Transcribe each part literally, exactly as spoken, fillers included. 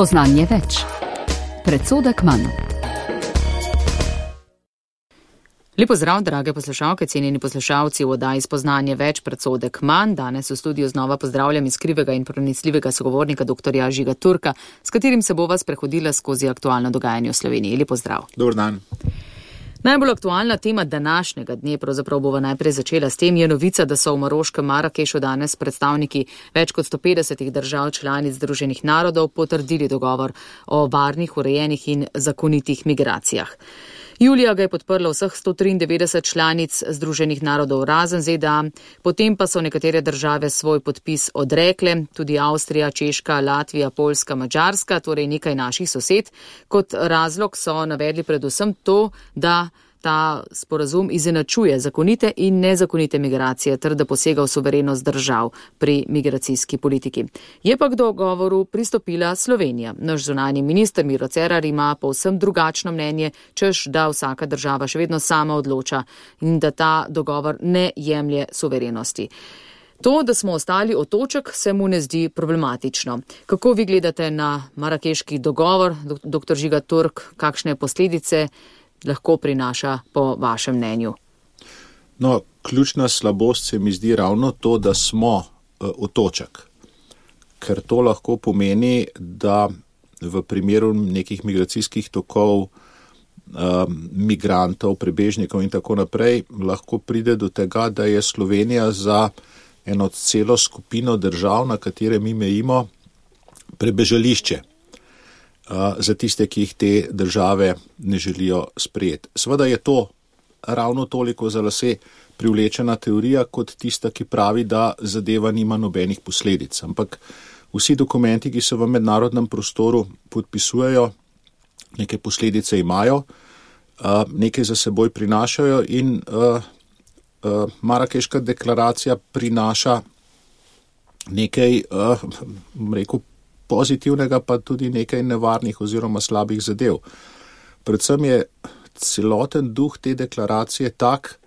Spoznanje več. Predsodek manj. Lepo zdrav, drage poslušalke, cenjeni poslušalci v oddaji Spoznanje več, predsodek manj. Danes v studiu znova pozdravljam iskrivega in pronicljivega sogovornika doktorja Žiga Turka, s katerim se bova sprehodila skozi aktualno dogajanje v Sloveniji. Lepo zdrav. Dober dan. Najbolj aktualna tema današnjega dne, pravzaprav bova najprej začela s tem, je novica, da so v maroškem Marakešu danes predstavniki več kot sto petdesetih držav članic Združenih narodov potrdili dogovor o varnih, urejenih in zakonitih migracijah. Julija ga je podprlo vseh sto triindevetdeset članic Združenih narodov razen Z D A, potem pa so nekatere države svoj podpis odrekle, tudi Avstrija, Češka, Latvija, Poljska, Madžarska, torej nekaj naših sosed. Kot razlog so navedli predvsem to, da ta sporazum izenačuje zakonite in nezakonite migracije ter da posega v suverenost držav pri migracijski politiki. Je pa k dogovoru pristopila Slovenija. Naš zunanji minister Miro Cerar ima povsem drugačno mnenje, češ da vsaka država še vedno sama odloča in da ta dogovor ne jemlje suverenosti. To, da smo ostali otoček, se mu ne zdi problematično. Kako vi gledate na marakeški dogovor, doktor Žiga Turk, kakšne posledice lahko prinaša po vašem mnenju? No, ključna slabost se mi zdi ravno to, da smo uh, otoček. Ker to lahko pomeni, da v primeru nekih migracijskih tokov, uh, migrantov, prebežnikov in tako naprej, lahko pride do tega, da je Slovenija za eno celo skupino držav, na katere mi mejimo, prebežališče. Za tiste, ki jih te države ne želijo sprejeti. Seveda je to ravno toliko za lase privlečena teorija, kot tista, ki pravi, da zadeva nima nobenih posledic. Ampak vsi dokumenti, ki se v mednarodnem prostoru podpisujejo, neke posledice imajo, nekaj za seboj prinašajo in Marakeška deklaracija prinaša nekaj, rekel, pozitivnega, pa tudi nekaj nevarnih oziroma slabih zadev. Predvsem je celoten duh te deklaracije tak,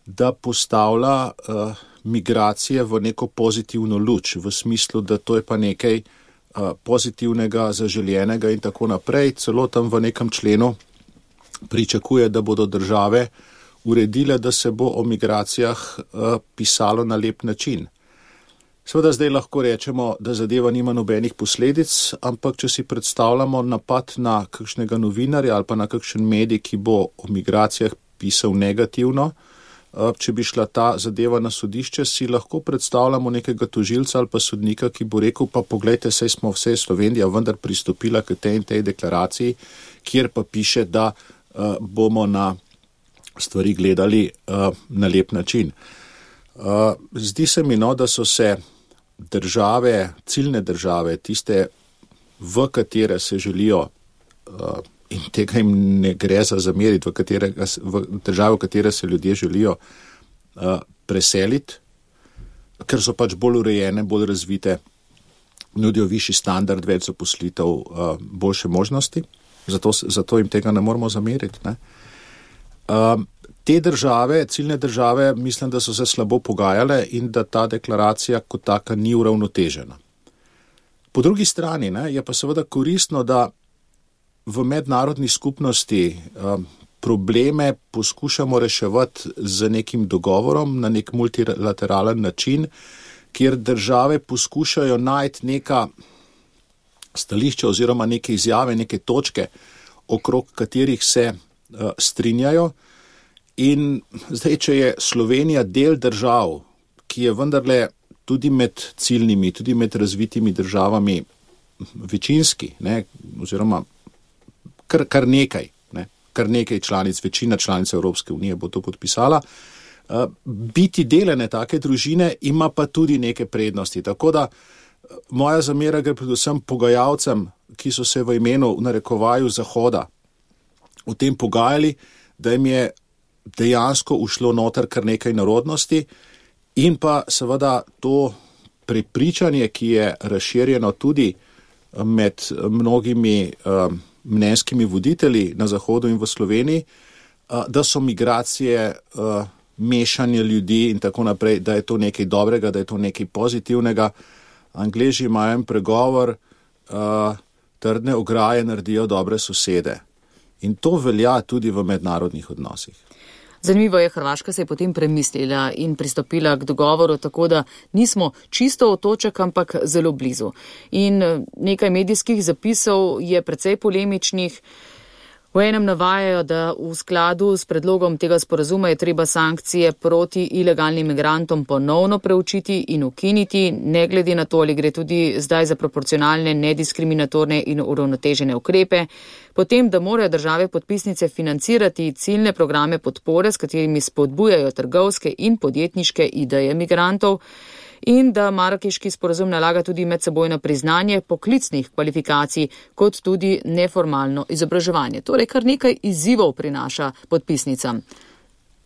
da postavlja uh, migracije v neko pozitivno luč, v smislu, da to je pa nekaj uh, pozitivnega, zaželjenega in tako naprej. Celo tam v nekem členu pričakuje, da bodo države uredile, da se bo o migracijah uh, pisalo na lep način. Seveda zdaj lahko rečemo, da zadeva nima nobenih posledic, ampak če si predstavljamo napad na kakšnega novinarja ali pa na kakšen medij, ki bo o migracijah pisal negativno, če bi šla ta zadeva na sodišče, si lahko predstavljamo nekega tožilca ali pa sodnika, ki bo rekel, pa poglejte, saj smo vse Slovenija vendar pristopila k tej in tej deklaraciji, kjer pa piše, da uh, bomo na stvari gledali uh, na lep način. Uh, zdi se mi, no, da so se države, ciljne države, tiste, v katere se želijo, uh, in tega jim ne gre za zameriti, v, katerega, v države, v katere se ljudje želijo uh, preseliti, ker so pač bolj urejene, bolj razvite, nudijo višji standard, več zaposlitev, uh, boljše možnosti, zato, zato jim tega ne moramo zameriti. Ne? Uh, Te države, ciljne države, mislim, da so se slabo pogajale in da ta deklaracija kot taka ni uravnotežena. Po drugi strani ne, je pa seveda koristno, da v mednarodni skupnosti um, probleme poskušamo reševati z nekim dogovorom na nek multilateralen način, kjer države poskušajo najti neka stališča oziroma neke izjave, neke točke, okrog katerih se uh, strinjajo. In zdaj, če je Slovenija del držav, ki je vendarle tudi med ciljnimi, tudi med razvitimi državami večinski, ne, oziroma kar, kar nekaj, ne, kar nekaj članic, večina članic Evropske unije bo to podpisala, uh, biti delene take družine ima pa tudi neke prednosti. Tako da moja zamera gre predvsem pogajalcem, ki so se v imenu, v narekovaju Zahoda v tem pogajali, da jim je dejansko ušlo noter kar nekaj narodnosti in pa seveda to prepričanje, ki je razširjeno tudi med mnogimi um, mnenjskimi voditelji na Zahodu in v Sloveniji, uh, da so migracije uh, mešanje ljudi in tako naprej, da je to nekaj dobrega, da je to nekaj pozitivnega. Angleži imajo en pregovor, uh, trdne ograje naredijo dobre sosede. In to velja tudi v mednarodnih odnosih. Zanimivo je, Hrvaška se je potem premislila in pristopila k dogovoru, tako da nismo čisto otoček, ampak zelo blizu. In nekaj medijskih zapisov je precej polemičnih. V enem navajajo, da v skladu s predlogom tega sporazuma je treba sankcije proti ilegalnim migrantom ponovno preučiti in ukiniti, ne glede na to, ali gre tudi zdaj za proporcionalne, nediskriminatorne in uravnotežene ukrepe. Potem, da morajo države podpisnice financirati ciljne programe podpore, s katerimi spodbujajo trgovske in podjetniške ideje migrantov. In da Marakeški sporazum nalaga tudi medsebojno priznanje poklicnih kvalifikacij, kot tudi neformalno izobraževanje. Torej, kar nekaj izzivov prinaša podpisnicam.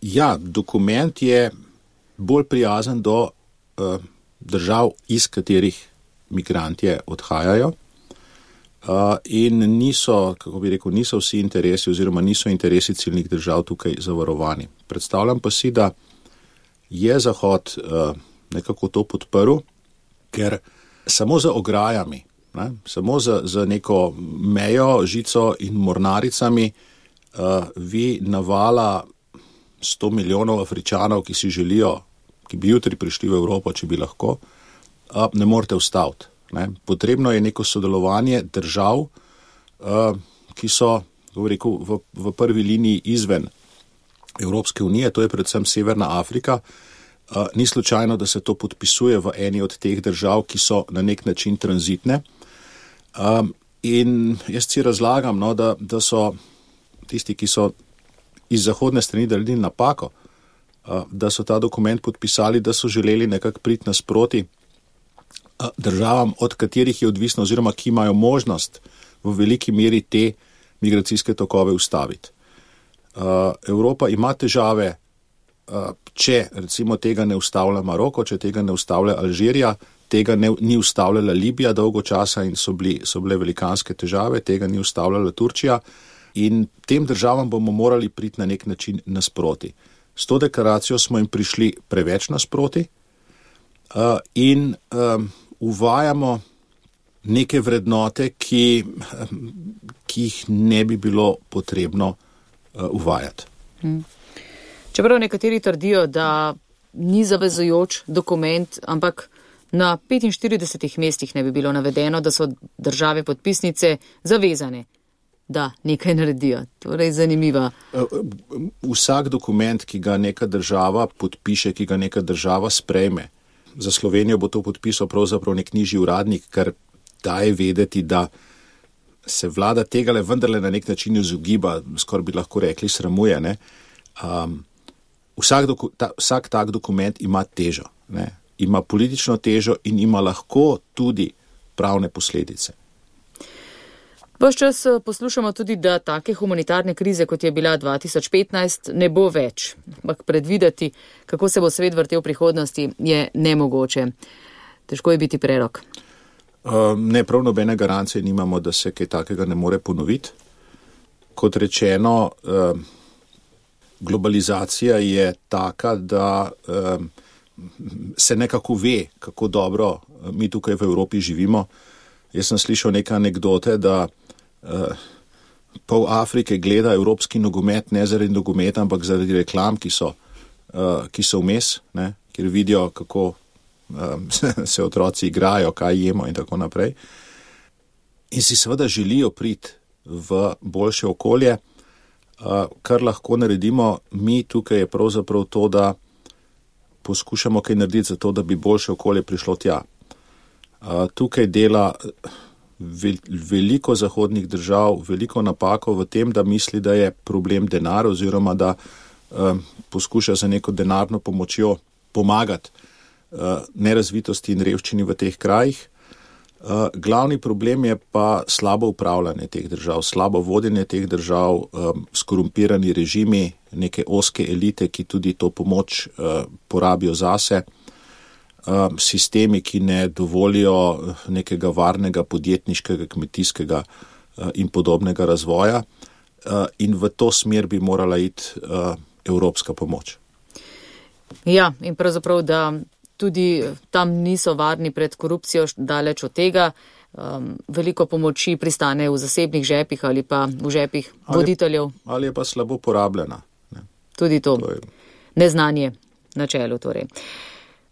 Ja, dokument je bolj prijazen do uh, držav, iz katerih migrantje odhajajo. Uh, in niso, kako bi rekel, niso vsi interesi oziroma niso interesi ciljnih držav tukaj zavarovani. Predstavljam pa si, da je Zahod uh, nekako to podprl, ker samo za ograjami, ne, samo za, za neko mejo, žico in mornaricami uh, vi navala sto milijonov Afričanov, ki si želijo, ki bi jutri prišli v Evropo, če bi lahko, uh, ne morete ustaviti. Ne. Potrebno je neko sodelovanje držav, uh, ki so, kako rekel, v, v prvi liniji izven Evropske unije, to je predvsem Severna Afrika. Uh, ni slučajno, da se to podpisuje v eni od teh držav, ki so na nek način tranzitne. Um, in jaz si razlagam, no, da, da so tisti, ki so iz zahodne strani naredili napako, uh, da so ta dokument podpisali, da so želeli nekako priti nasproti uh, državam, od katerih je odvisno oziroma ki imajo možnost v veliki meri te migracijske tokove ustaviti. Uh, Evropa ima težave, če recimo tega ne ustavlja Maroko, če tega ne ustavlja Alžirija, tega ne, ni ustavljala Libija dolgo časa in so, bili, so bile velikanske težave, tega ni ustavljala Turčija in tem državam bomo morali priti na nek način nasproti. S to deklaracijo smo jim prišli preveč nasproti uh, in um, uvajamo neke vrednote, ki, ki jih ne bi bilo potrebno uh, uvajati. Hmm. Čeprav nekateri trdijo, da ni zavezujoč dokument, ampak na petinštiridesetih mestih ne bi bilo navedeno, da so države podpisnice zavezane, da nekaj naredijo. Torej, zanimiva. Vsak dokument, ki ga neka država podpiše, ki ga neka država sprejme, za Slovenijo bo to podpisal pravzaprav nek nižji uradnik, kar daje vedeti, da se vlada tegale vendarle na nek način izogiba, skoraj bi lahko rekli sramuje, ne. Um, Vsak, doku, ta, vsak tak dokument ima težo, ne? Ima politično težo in ima lahko tudi pravne posledice. Ves čas poslušamo tudi, da take humanitarne krize, kot je bila dva tisoč petnajst, ne bo več. Ampak predvideti, kako se bo svet vrtel v prihodnosti, je nemogoče. Težko je biti prerok. Uh, ne, prav nobene garancije nimamo, da se kaj takega ne more ponoviti. Kot rečeno, uh, globalizacija je taka, da um, se nekako ve, kako dobro mi tukaj v Evropi živimo. Jaz sem slišal neke anekdote, da uh, pol Afrike gleda evropski nogomet ne zaradi nogometa, ampak zaradi reklam, ki so, uh, ki so vmes, ne, kjer vidijo, kako um, se otroci igrajo, kaj jemo in tako naprej. In si seveda želijo priti v boljše okolje. Uh, kar lahko naredimo mi tukaj je pravzaprav to, da poskušamo kaj narediti za to, da bi boljše okolje prišlo tja. Uh, tukaj dela vel, veliko zahodnih držav, veliko napako v tem, da misli, da je problem denar oziroma da uh, poskuša za neko denarno pomočjo pomagati uh, nerazvitosti in revščini v teh krajih. Uh, glavni problem je pa slabo upravljanje teh držav, slabo vodenje teh držav, um, skorumpirani režimi, neke oske elite, ki tudi to pomoč uh, porabijo zase, um, sistemi, ki ne dovolijo nekega varnega podjetniškega, kmetijskega uh, in podobnega razvoja uh, in v to smer bi morala iti uh, evropska pomoč. Ja, in pravzaprav, da tudi tam niso varni pred korupcijo, daleč od tega. um, veliko pomoči pristane v zasebnih žepih ali pa v žepih ali, voditeljev. Ali je pa slabo porabljena. Ne. Tudi to. to je... Neznanje na čelu torej.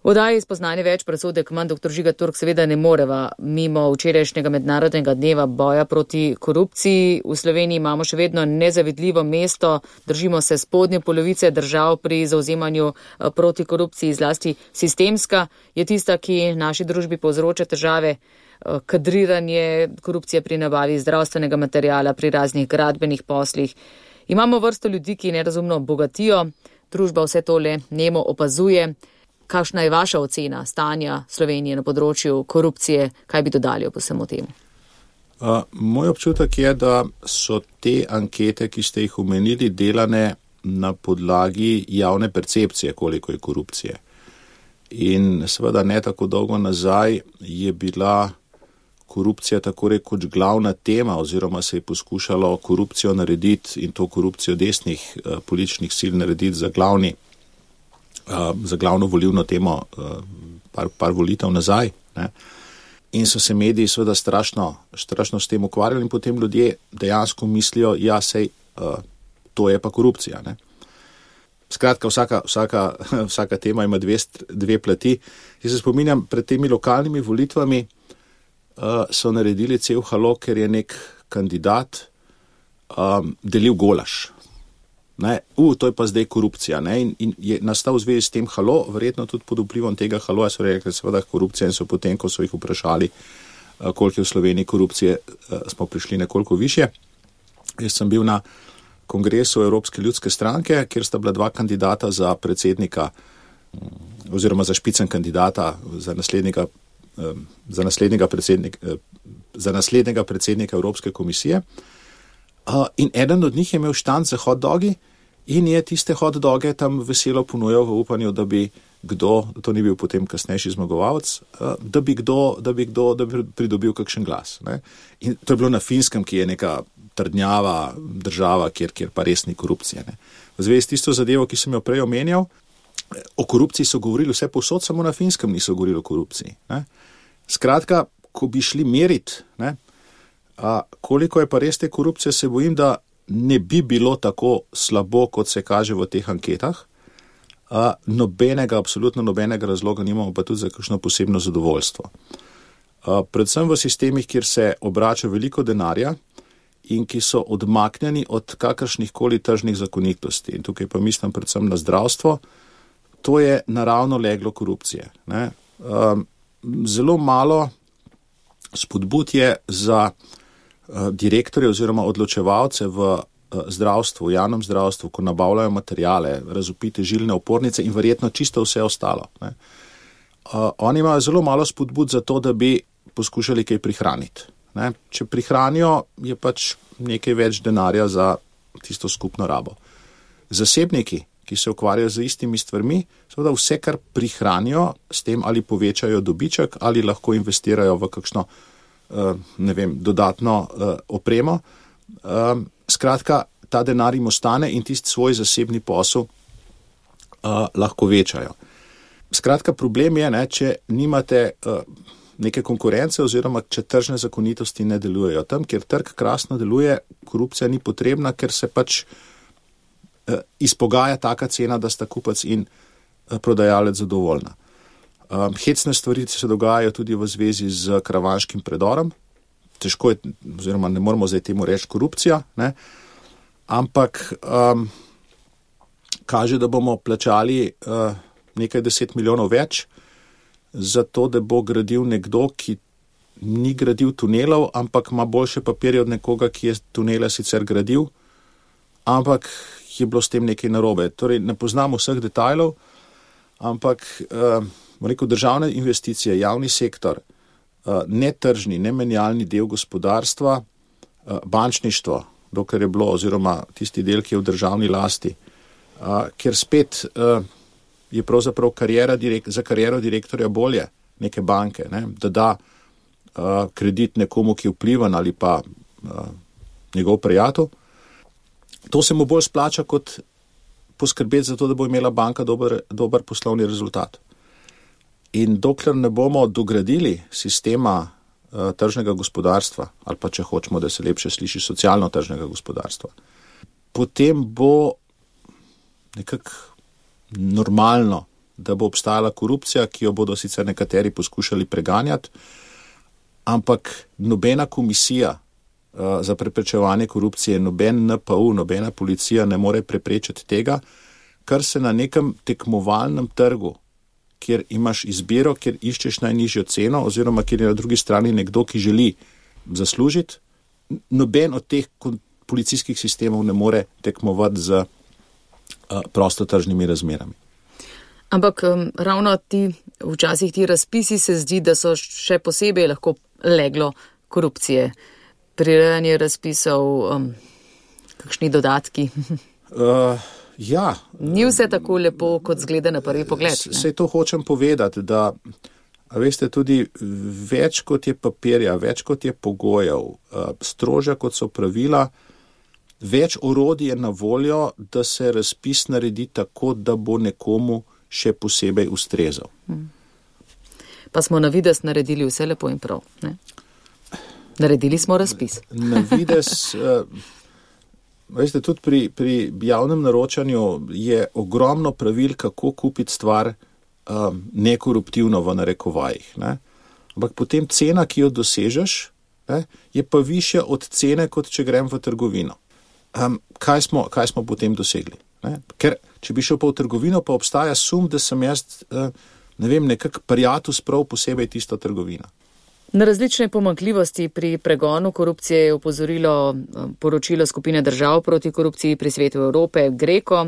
V oddaji Spoznanje več presodek manj doktor Žiga Turk seveda ne moreva mimo včerajšnjega mednarodnega dneva boja proti korupciji. V Sloveniji imamo še vedno nezavidljivo mesto, držimo se spodnje polovice držav pri zauzemanju proti korupciji, zlasti sistemska je tista, ki naši družbi povzroča težave, kadriranje, korupcija pri nabavi zdravstvenega materijala, pri raznih gradbenih poslih. Imamo vrsto ljudi, ki nerazumno bogatijo, družba vse tole nemo opazuje. Kakšna je vaša ocena stanja Slovenije na področju korupcije? Kaj bi dodali ob vsemu temu? Uh, moj občutek je, da so te ankete, ki ste jih omenili, delane na podlagi javne percepcije, koliko je korupcije. In seveda ne tako dolgo nazaj je bila korupcija tako rekoč glavna tema oziroma se je poskušalo korupcijo narediti in to korupcijo desnih uh, političnih sil narediti za glavni Uh, za glavno volivno temo uh, par, par volitev nazaj. Ne. In so se mediji seveda strašno, strašno s tem ukvarjali in potem ljudje dejansko mislijo, ja, sej, uh, to je pa korupcija. Ne. Skratka, vsaka, vsaka, vsaka tema ima dve, dve plati. Jaz se spominjam, pred temi lokalnimi volitvami uh, so naredili cel halo, ker je nek kandidat um, delil golaž. Ne, uh, to je pa zdaj korupcija. Ne, in, in je nastal v zvezi s tem halo, verjetno tudi pod vplivom tega haloja so rekli, seveda korupcija in so potem, ko so jih vprašali, uh, koliko je v Sloveniji korupcije, uh, smo prišli nekoliko više. Jaz sem bil na kongresu Evropske ljudske stranke, kjer sta bila dva kandidata za predsednika oziroma za špicen kandidata za naslednjega, um, za naslednjega, predsednik, uh, za naslednjega predsednika Evropske komisije. Uh, in eden od njih je imel štand za hot dogi in je tiste hot doge tam veselo ponujal v upanju, da bi kdo, to ni bil potem kasnejši zmagovalec, uh, da bi kdo, da bi kdo, da bi pridobil kakšen glas. Ne? In to je bilo na Finskem, ki je neka trdnjava država, kjer, kjer pa res ni korupcije. Ne? V zvezi s tisto zadevo, ki sem jo prej omenjal, o korupciji so govorili vse povsod, samo na Finskem niso govorili o korupciji. Ne? Skratka, ko bi šli meriti, ne, A, koliko je pa res te korupcije, se bojim, da ne bi bilo tako slabo, kot se kaže v teh anketah. A, nobenega, absolutno nobenega razloga nimamo pa tudi za kakšno posebno zadovoljstvo. A, predvsem v sistemih, kjer se obrača veliko denarja in ki so odmaknjeni od kakršnih koli tržnih zakonitosti. In tukaj pa mislim predvsem na zdravstvo, to je naravno leglo korupcije. Ne? A, zelo malo spodbud je za direktorje oziroma odločevalce v zdravstvu, v javnem zdravstvu, ko nabavljajo materijale, razvpite žilne opornice in verjetno čisto vse ostalo. Ne. Uh, oni imajo zelo malo spodbud za to, da bi poskušali kaj prihraniti. Ne. Če prihranijo, je pač nekaj več denarja za tisto skupno rabo. Zasebniki, ki se ukvarjajo z istimi stvarmi, seveda vse, kar prihranijo, s tem ali povečajo dobiček ali lahko investirajo v kakšno Uh, ne vem, dodatno uh, opremo. Um, skratka, ta denar jim ostane in tisti svoj zasebni posel uh, lahko večajo. Skratka, problem je, ne, če nimate uh, neke konkurence oziroma če tržne zakonitosti ne delujejo. Tam, kjer trg krasno deluje, korupcija ni potrebna, ker se pač uh, izpogaja taka cena, da sta kupac in uh, prodajalec zadovoljna. Um, hecne stvari se dogajajo tudi v zvezi z Karavanškim predorom. Težko je, oziroma ne moramo zdaj temu reči korupcija, ne? Ampak um, kaže, da bomo plačali uh, nekaj deset milijonov več za to, da bo gradil nekdo, ki ni gradil tunelov, ampak ima boljše papirje od nekoga, ki je tunele sicer gradil, ampak je bilo s tem nekaj narobe. Torej, ne poznamo vseh detajlov, ampak uh, rekel, državne investicije, javni sektor, netržni, nemenjalni del gospodarstva, bančništvo, dokler je bilo, oziroma tisti del, ki je v državni lasti, ker spet je pravzaprav karijera, za kariero direktorja bolje neke banke, ne, da da kredit nekomu, ki je vplivan ali pa njegov prijatelj. To se mu bolj splača, kot poskrbeti za to, da bo imela banka dober, dober poslovni rezultat. In dokler ne bomo dogradili sistema uh, tržnega gospodarstva, ali pa če hočemo, da se lepše sliši, socialno tržnega gospodarstva, potem bo nekako normalno, da bo obstajala korupcija, ki jo bodo sicer nekateri poskušali preganjati, ampak nobena komisija uh, za preprečevanje korupcije, noben N P U, nobena policija ne more preprečiti tega, kar se na nekem tekmovalnem trgu, kjer imaš izbiro, kjer iščeš najnižjo ceno, oziroma kjer je na drugi strani nekdo, ki želi zaslužiti, noben od teh policijskih sistemov ne more tekmovati z uh, prostotržnimi razmerami. Ampak um, ravno ti, včasih ti razpisi se zdi, da so še posebej lahko leglo korupcije. Prirejanje razpisov, um, kakšni dodatki? uh, ja. Ni vse tako lepo, kot zgleda na prvi pogled. Sej to hočem povedati, da a veste, tudi več kot je papirja, več kot je pogojev, uh, strožja kot so pravila, več orodij je na voljo, da se razpis naredi tako, da bo nekomu še posebej ustrezal. Pa smo na vides naredili vse lepo in prav. Ne? Naredili smo razpis. Na vides, uh, veste, tudi pri, pri javnem naročanju je ogromno pravil, kako kupiti stvar um, nekoruptivno v narekovajih. Ne? Ampak potem cena, ki jo dosežeš, ne, je pa višja od cene, kot če grem v trgovino. Um, kaj, smo, kaj smo potem dosegli? Ne? Ker, če bi šel pa v trgovino, pa obstaja sum, da sem jaz, ne vem, nekak prijatelj sprav posebej tisto trgovino. Na različne pomanjkljivosti pri pregonu korupcije je opozorilo poročilo skupine držav proti korupciji pri Svetu Evrope, GRECO.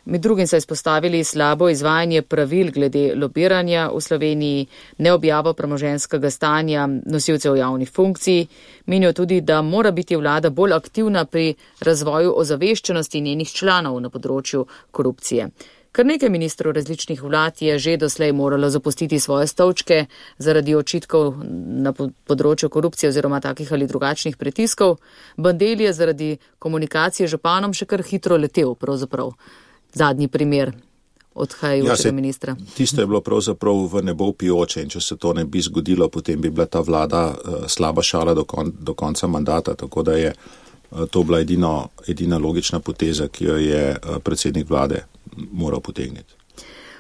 Med drugim so izpostavili slabo izvajanje pravil glede lobiranja v Sloveniji, neobjavo premoženjskega stanja nosilcev javnih funkcij. Menijo tudi, da mora biti vlada bolj aktivna pri razvoju ozaveščenosti njenih članov na področju korupcije. Kar nekaj ministrov različnih vlad je že doslej moralo zapustiti svoje stolčke zaradi očitkov na področju korupcije oziroma takih ali drugačnih pritiskov. Bandelj je zaradi komunikacije z županom še kar hitro letel pravzaprav. Zadnji primer odhajajočega ja, ministra. Tisto je bilo pravzaprav v nebo pijoče in če se to ne bi zgodilo, potem bi bila ta vlada uh, slaba šala do, kon, do konca mandata, tako da je uh, to bila edino, edina logična poteza, ki jo je uh, predsednik vlade moral potegniti.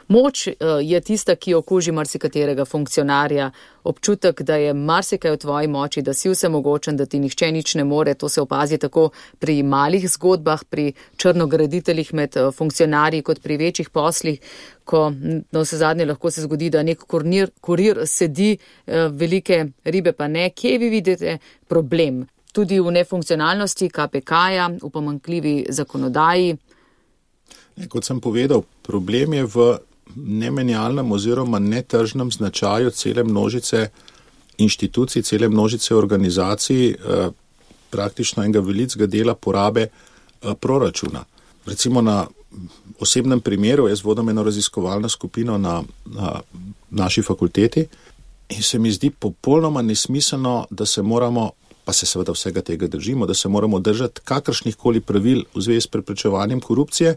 Moč je tista, ki okuži marsikaterega funkcionarja. Občutek, da je marsikaj v tvoji moči, da si vsemogočen, da ti nihče nič ne more, to se opazi tako pri malih zgodbah, pri črnograditeljih med funkcionarji, kot pri večjih poslih, ko na vse zadnje lahko se zgodi, da nek kurir, kurir sedi, velike ribe pa ne. Kje vi vidite problem? Tudi v nefunkcionalnosti K P K-ja, v pomanjkljivi zakonodaji? Ne, kot sem povedal, problem je v nemenjalnem oziroma netržnem značaju cele množice inštitucij, cele množice organizacij, eh, praktično enega velikega dela porabe eh, proračuna. Recimo na osebnem primeru, jaz vodim eno raziskovalno skupino na, na naši fakulteti in se mi zdi popolnoma nesmiselno, da se moramo, pa se seveda vsega tega držimo, da se moramo držati kakršnih koli pravil v zvezi s preprečevanjem korupcije,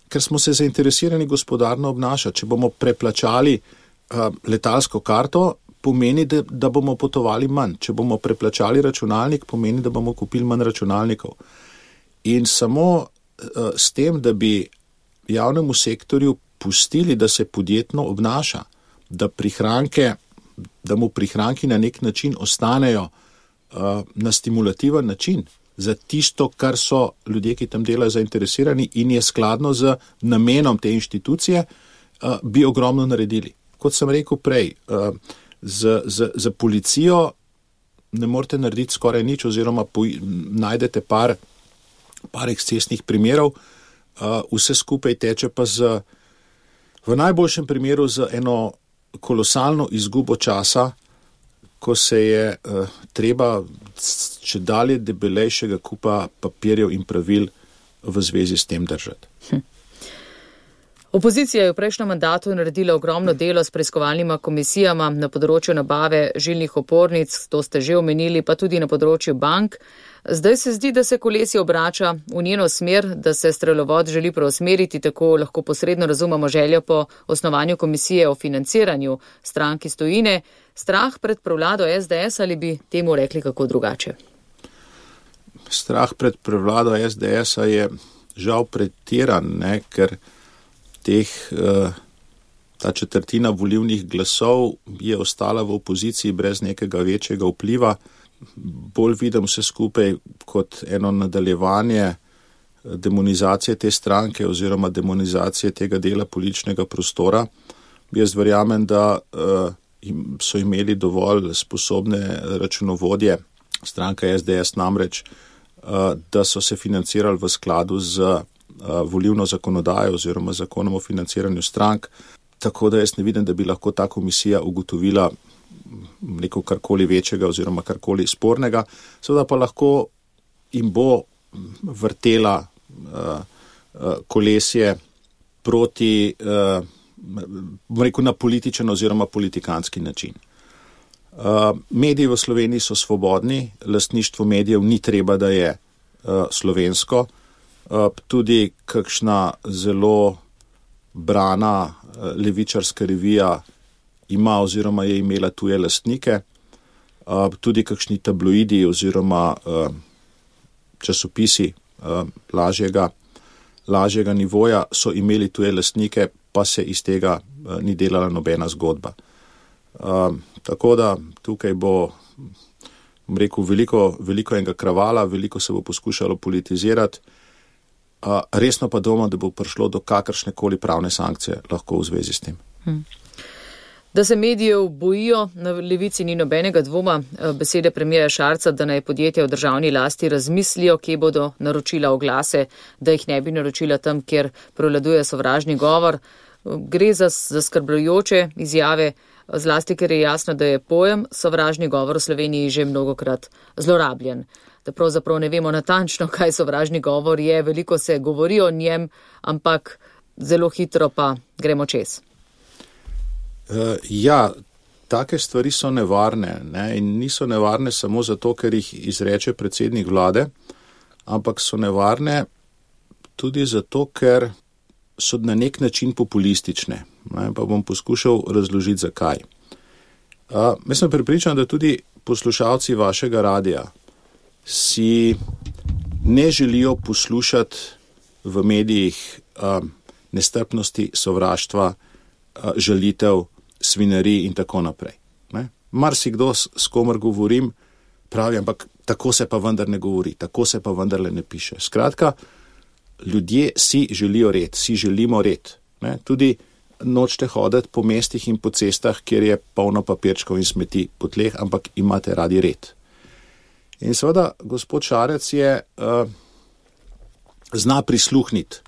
ker smo se zainteresirani gospodarno obnašati. Če bomo preplačali uh, letalsko karto, pomeni, da, da bomo potovali manj. Če bomo preplačali računalnik, pomeni, da bomo kupili manj računalnikov. In samo uh, s tem, da bi javnemu sektorju pustili, da se podjetno obnaša, da prihranke, da mu prihranki na nek način ostanejo uh, na stimulativen način, za tisto, kar so ljudje, ki tam delajo, zainteresirani in je skladno z namenom te inštitucije, bi ogromno naredili. Kot sem rekel prej, z, z, z policijo ne morete narediti skoraj nič oziroma po, najdete par, par ekscesnih primerov, vse skupaj teče pa z, v najboljšem primeru z eno kolosalno izgubo časa, ko se je uh, treba če dalje debelejšega kupa papirjev in pravil v zvezi s tem držati. Hm. Opozicija je v prejšnjem mandatu naredila ogromno delo s preiskovalnima komisijama na področju nabave žilnih opornic, to ste že omenili, pa tudi na področju bank. Zdaj se zdi, da se kolesje obrača v njeno smer, da se strelovod želi preusmeriti, tako lahko posredno razumemo željo po osnovanju komisije o financiranju strank iz tujine. Strah pred prevlado S D S ali bi temu rekli kako drugače? Strah pred prevlado S D S-a je žal pretiran, ne, ker teh, ta četrtina volivnih glasov je ostala v opoziciji brez nekega večjega vpliva. Bolj vidim vse skupaj kot eno nadaljevanje demonizacije te stranke oziroma demonizacije tega dela političnega prostora. Jaz verjamem, da so imeli dovolj sposobne računovodje stranka S D S namreč, da so se financirali v skladu z volivno zakonodajo oziroma zakonom o financiranju strank, tako da jaz ne vidim, da bi lahko ta komisija ugotovila neko karkoli večjega oziroma karkoli spornega, seveda pa lahko jim bo vrtela uh, uh, kolesje proti, uh, bom rekel, na političen oziroma politikanski način. Uh, mediji v Sloveniji so svobodni, lastništvo medijev ni treba, da je uh, slovensko. Uh, tudi kakšna zelo brana uh, levičarska revija ima oziroma je imela tuje lastnike, uh, tudi kakšni tabloidi oziroma uh, časopisi uh, lažjega, lažjega nivoja so imeli tuje lastnike, pa se iz tega uh, ni delala nobena zgodba. Uh, tako da tukaj bo, bom rekel, veliko, veliko enega kravala, veliko se bo poskušalo politizirati, uh, resno pa doma, da bo prišlo do kakršnekoli pravne sankcije lahko v zvezi s tem. Hmm. Da se medijev bojijo, na levici ni nobenega dvoma. Besede premijerja Šarca, da naj podjetja v državni lasti razmislijo, kje bodo naročila oglase, da jih ne bi naročila tam, kjer prevladuje sovražni govor. Gre za zaskrbljujoče izjave, zlasti ker je jasno, da je pojem sovražni govor v Sloveniji že mnogokrat zlorabljen. Da pravzaprav ne vemo natančno, kaj sovražni govor je, veliko se govori o njem, ampak zelo hitro pa gremo čez. Uh, ja, take stvari so nevarne, ne? In niso nevarne samo zato, ker jih izreče predsednik vlade, ampak so nevarne tudi zato, ker so na nek način populistične. Ne? Pa bom poskušal razložiti, zakaj. Uh, jaz sem prepričan, da tudi poslušalci vašega radija si ne želijo poslušati v medijih uh, nestrpnosti, sovraštva, uh, žalitev, svinari in tako naprej. Ne? Marsikdo, s, s komer govorim, pravi, ampak tako se pa vendar ne govori, tako se pa vendarle ne piše. Skratka, ljudje si želijo red, si želimo red. Ne? Tudi nočete hoditi po mestih in po cestah, kjer je polno papirčkov in smeti po tleh, ampak imate radi red. In seveda, gospod Šarec je uh, zna prisluhniti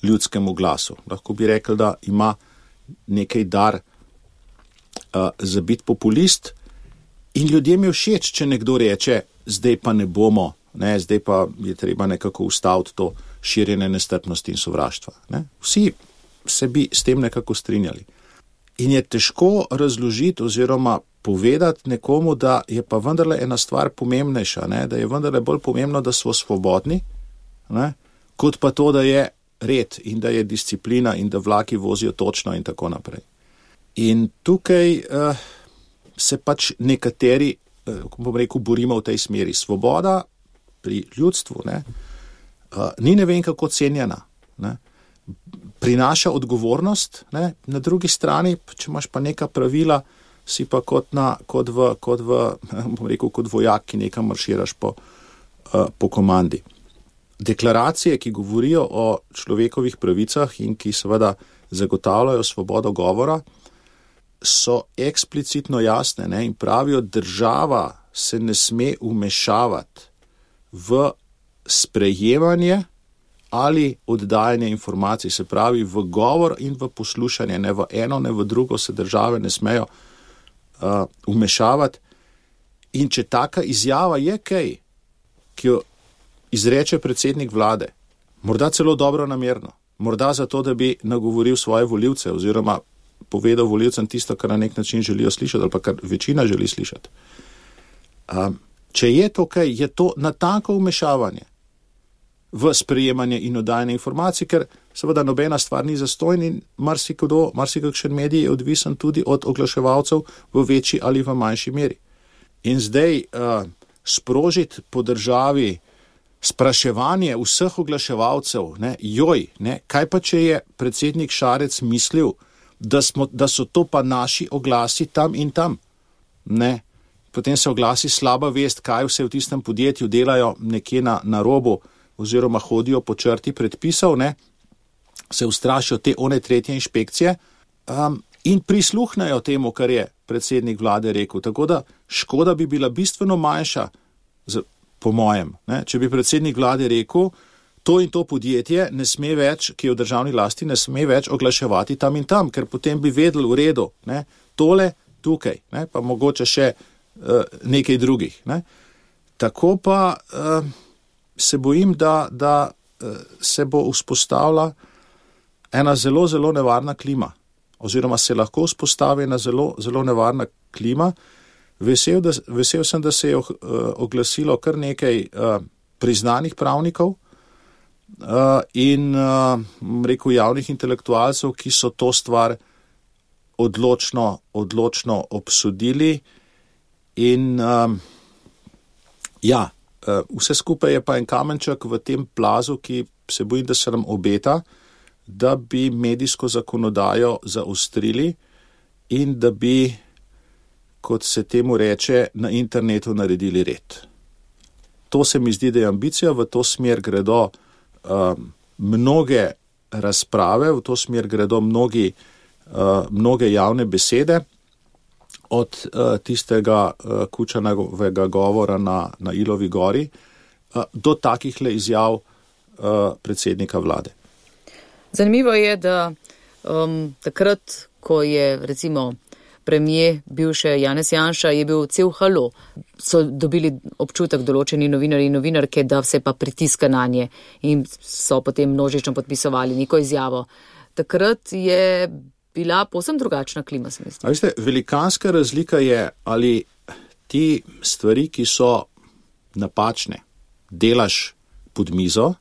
ljudskemu glasu. Lahko bi rekel, da ima nekaj dar Uh, za biti populist in ljudem je všeč, če nekdo reče, zdaj pa ne bomo, ne, zdaj pa je treba nekako ustaviti to širjenje nestrpnosti in sovraštva. Ne. Vsi se bi s tem nekako strinjali. In je težko razložiti oziroma povedati nekomu, da je pa vendarle ena stvar pomembnejša, ne, da je vendarle bolj pomembno, da smo svobodni, ne, kot pa to, da je red in da je disciplina in da vlaki vozijo točno in tako naprej. In tukaj uh, se pač nekateri, uh, bom rekel, borimo v tej smeri. Svoboda pri ljudstvu ne, uh, ni ne vem kako cenjena. Ne. Prinaša odgovornost, ne, na drugi strani, če imaš pa neka pravila, si pa kot, na, kot, v, kot, v, bom rekel, kot vojak, ki nekam marširaš po, uh, po komandi. Deklaracije, ki govorijo o človekovih pravicah in ki seveda zagotavljajo svobodo govora, so eksplicitno jasne, ne, in pravijo, država se ne sme vmešavati v sprejemanje ali oddajanje informacij, se pravi v govor in v poslušanje, ne v eno, ne v drugo se države ne smejo uh, vmešavati. In če taka izjava je kaj, ki jo izreče predsednik vlade, morda celo dobro namerno, morda zato, da bi nagovoril svoje volivce oziroma povedal volivcem tisto, kar na nek način želijo slišati ali pa kar večina želi slišati. Um, če je to kaj, je to natanko vmešavanje v sprejemanje in oddajanje informacij, ker seveda nobena stvar ni zastonj in marsikdo, marsikakšen medij je odvisen tudi od oglaševalcev v večji ali v manjši meri. In zdaj uh, sprožiti po državi spraševanje vseh oglaševalcev, ne, joj, ne, kaj pa če je predsednik Šarec mislil, da, smo, da so to pa naši oglasi tam in tam, ne. Potem se oglasi slaba vest, kaj vse v tistem podjetju delajo nekje na, na robu oziroma hodijo po črti predpisov, ne, se ustrašijo te one tretje inšpekcije um, in prisluhnajo temu, kar je predsednik vlade rekel. Tako da škoda bi bila bistveno manjša, z, po mojem, ne, če bi predsednik vlade rekel, to in to podjetje ne sme več, ki je v državni lasti, ne sme več oglaševati tam in tam, ker potem bi vedel v redu, ne, tole tukaj, ne, pa mogoče še uh, nekaj drugih. Ne. Tako pa uh, se bojim, da, da uh, se bo vzpostavila ena zelo, zelo nevarna klima, oziroma se lahko vzpostavi ena zelo, zelo nevarna klima. Vesel, da, vesel sem, da se je uh, oglasilo kar nekaj uh, priznanih pravnikov uh, in uh, rekel javnih intelektualcev, ki so to stvar odločno, odločno obsodili in uh, ja, uh, vse skupaj je pa en kamenček v tem plazu, ki se bojim, da se nam obeta, da bi medijsko zakonodajo zaostrili in da bi, kot se temu reče, na internetu naredili red. To se mi zdi, da je ambicija, v to smer gredo um, mnoge razprave, v to smer gredo mnogi, uh, mnoge javne besede, od uh, tistega uh, Kučanovega govora na, na Ilovi gori uh, do takih le izjav uh, predsednika vlade. Zanimivo je, da um, takrat, ko je recimo premijer bivše Janez Janša, je bil cel halo, so dobili občutek določeni novinarji in novinarke, da se pa pritiska na nje in so potem množično podpisovali neko izjavo. Takrat je bila povsem drugačna klima, se mi zdi. Veste, velikanska razlika je, ali ti stvari, ki so napačne, delaš pod mizo,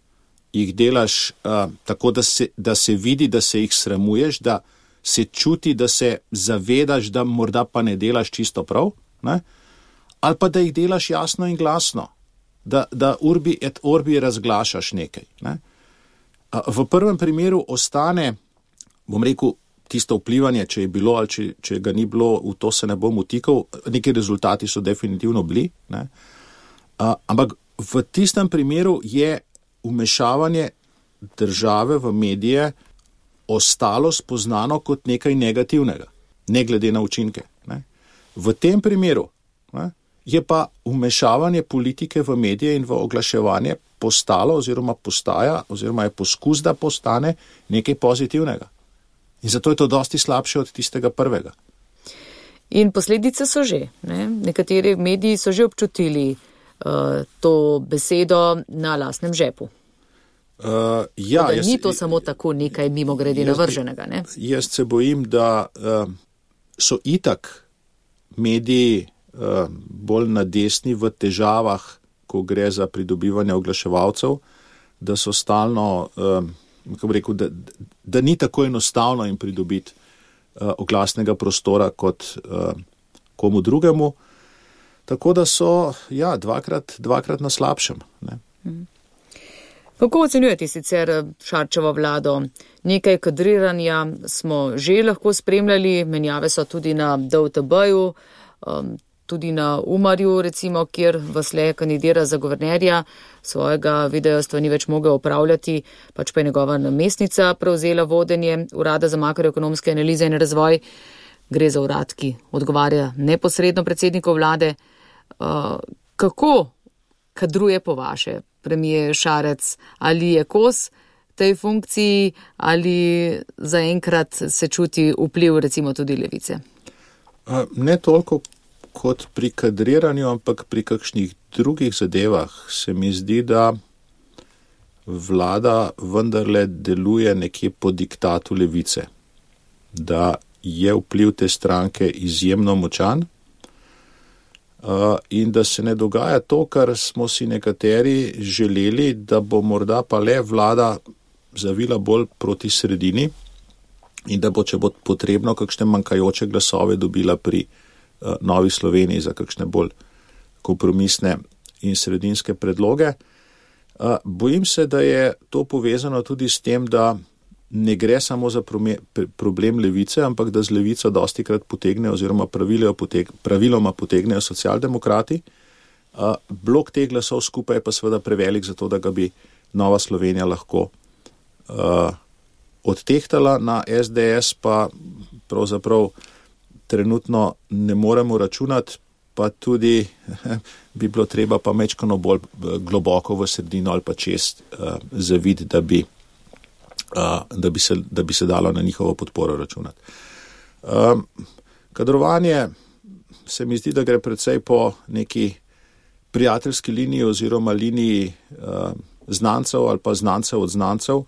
jih delaš uh, tako, da se, da se vidi, da se jih sramuješ, da se čuti, da se zavedaš, da morda pa ne delaš čisto prav, ne? Ali pa da jih delaš jasno in glasno, da, da urbi et orbi razglašaš nekaj. Ne? Uh, v prvem primeru ostane, bom rekel, tisto vplivanje, če je bilo ali če, če ga ni bilo, v to se ne bom vtikal, neki rezultati so definitivno bili, ne? Uh, ampak v tistem primeru je vmešavanje države v medije ostalo spoznano kot nekaj negativnega, ne glede na učinke. Ne. V tem primeru ne, je pa vmešavanje politike v medije in v oglaševanje postalo oziroma postaja oziroma je poskus, da postane nekaj pozitivnega. In zato je to dosti slabše od tistega prvega. In posledice so že. Ne. Nekateri mediji so že občutili uh, to besedo na lastnem žepu. Uh, ja, da jaz, ni to samo tako nekaj mimo grede navrženega, ne? Jaz se bojim, da uh, so itak mediji uh, bolj na desni v težavah, ko gre za pridobivanje oglaševalcev, da so stalno, uh, kako bi rekel, da, da ni tako enostavno jim pridobiti uh, oglasnega prostora kot uh, komu drugemu. Tako da so, ja, dvakrat, dvakrat na slabšem, ne? Hmm. Kako ocenjujete sicer Šarčevo vlado? Nekaj kadriranja smo že lahko spremljali, menjave so tudi na D U T B-ju, um, tudi na Umarju, recimo, kjer Vasle kandidira za guvernerja, svojega videostva ni več mogel upravljati, pač pa je njegova namestnica prevzela vodenje Urada za makroekonomske analize in razvoj. Gre za urad, ki odgovarja neposredno predsedniku vlade. Uh, kako kadruje po vaše premijer Šarec? Ali je kos tej funkciji ali zaenkrat se čuti vpliv recimo tudi levice? Ne toliko kot pri kadriranju, ampak pri kakšnih drugih zadevah se mi zdi, da vlada vendarle deluje nekje po diktatu levice, da je vpliv te stranke izjemno močan uh, in da se ne dogaja to, kar smo si nekateri želeli, da bo morda pa le vlada zavila bolj proti sredini in da bo, če bo potrebno, kakšne manjkajoče glasove dobila pri uh, Novi Sloveniji za kakšne bolj kompromisne in sredinske predloge. Uh, bojim se, da je to povezano tudi s tem, da ne gre samo za problem levice, ampak da z levico dosti krat potegnejo oziroma poteg, praviloma potegnejo socialdemokrati. Uh, blok teh glasov skupaj je pa seveda prevelik za to, da ga bi Nova Slovenija lahko uh, odtehtala. Na S D S pa pravzaprav trenutno ne moremo računati, pa tudi bi bilo treba pa mečkano bolj globoko v sredino ali pa čez uh, zavid, da bi Uh, da, bi se, da bi se dalo na njihovo podporo računati. Um, kadrovanje se mi zdi, da gre predvsej po neki prijateljski liniji oziroma liniji uh, znancev ali pa znancev od znancev.